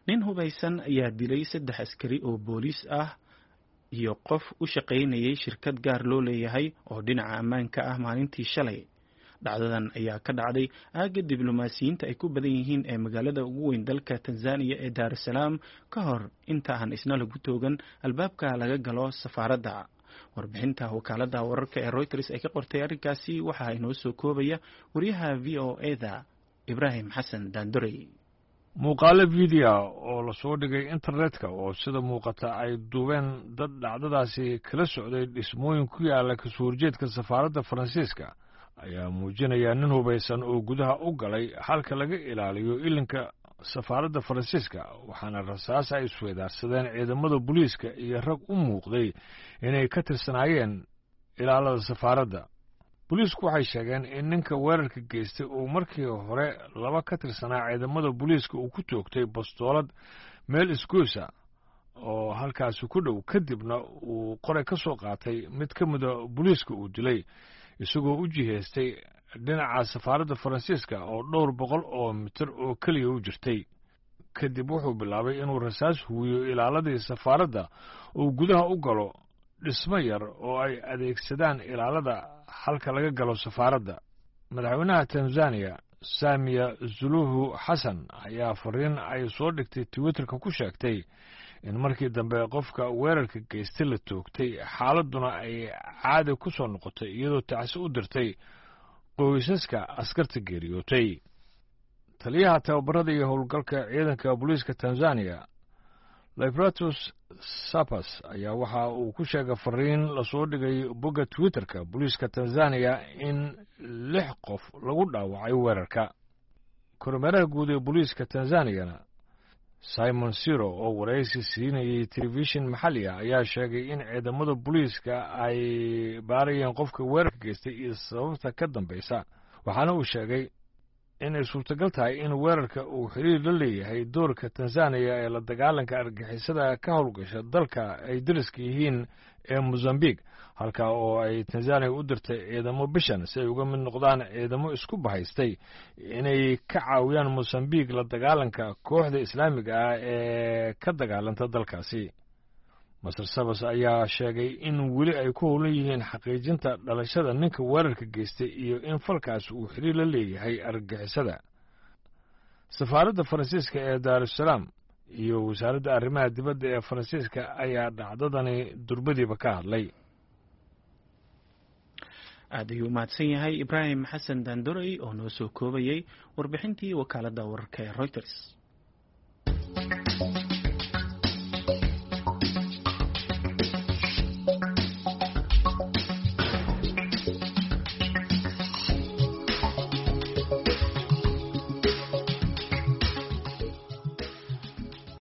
Nin hubaysan ayaa dilay saddex askari oo booliis ah iyo qof u shaqaynayay shirkad gaar loo leeyahay oo dhinaca ammaanka ah maalintii shalay. Dhacdadan ayaa ka dhacday aagga diblomaasiyiinta ay ku badan yihiin ee magaalada ugu weyn dalka Tanzaniya ee Daar es Salaam, ka hor inta aan isna lagu toogan albaabka laga galo safaaradda. Warbixinta wakaaladda wararka ee Reuters ay ka qortay arrinkaasi waxaa inoo soo koobaya wariyaha VOA-da Ibraahim Xasan Daandorey. Muuqaalo video oo lasoo dhigay internetka oo sida muuqata ay duubeen dad dhacdadaasi kala socday dhismooyin ku yaala kasoo horjeedka safaaradda Faransiiska ayaa muujinaya nin hubaysan oo gudaha u galay halka laga ilaaliyo ilinka safaaradda Faransiiska, waxaana rasaas ay isweydaarsadeen ciidamada booliiska iyo rag u muuqday inay ka tirsanaayeen ilaalada safaaradda. Booliisku waxay sheegeen in ninka weerarka geystay uu markii hore laba ka tirsanaa ciidamada booliiska uu ku toogtay bastoolad meel isgoysa oo halkaasi ku dhow, kadibna uu qoray ka soo qaatay mid ka mida booliiska uu dilay, isagoo u jihaystay dhinaca safaaradda Faransiiska oo dhowr boqol oo mitir oo keliya u jirtay. Kadib wuxuu bilaabay inuu rasaas huwiyo ilaaladii safaaradda uu gudaha u galo dhismo yar oo ay adeegsadaan ilaalada halka laga galo safaaradda. Madaxweynaha Tanzaniya Saamiya Suluhu Xasan ayaa fariin ay soo dhigtay Twitterka ku sheegtay in markii dambe qofka weerarka geystay la toogtay, xaaladduna ay caadi ku soo noqotay, iyadoo tacsi u dirtay qoysaska askarta geeriyootay. Taliyaha tababarada iyo howlgalka ciidanka booliiska Tanzaniya Libratus Sapas ayaa waxa uu ku sheegay fariin lasoo dhigay bogga Twitterka booliiska Tanzaniya in lix qof lagu dhaawacay weerarka. Kormeeraha guud ee booliiska Tanzaniyana Simon Siro oo waraysi siinayay telefishin maxalli ah ayaa sheegay in ciidamada booliiska ay baarayeen qofka weerarka geystay iyo sababta ka dambaysa, waxaana uu sheegay inay suurtagal tahay in weerarka uu xiriir la leeyahay doorka Tanzaniya ee la dagaalanka argagixisada ka howlgasha dalka ay dariska yihiin ee Mosambique, halka oo ay Tanzaniya u dirtay ciidamo bishan si ay uga mid noqdaan ciidamo isku bahaystay inay ka caawiyaan Mosambique la dagaalanka kooxda Islaamiga ah ee ka dagaalanta dalkaasi. Master Sabas ayaa sheegay in weli ay ku howlan yihiin xaqiijinta dhalashada ninka weerarka geystay iyo in falkaas uu xiriir la leeyahay argagixisada. Safaaradda Faransiiska ee Daarusalaam iyo wasaaradda arrimaha dibadda ee Faransiiska ayaa dhacdadani durbadiiba ka hadlay. Aad ayuu umahadsan yahay Ibraahim Xasan Daandorey oo noo soo koobayay warbixintii wakaaladda wararka ee Reuters.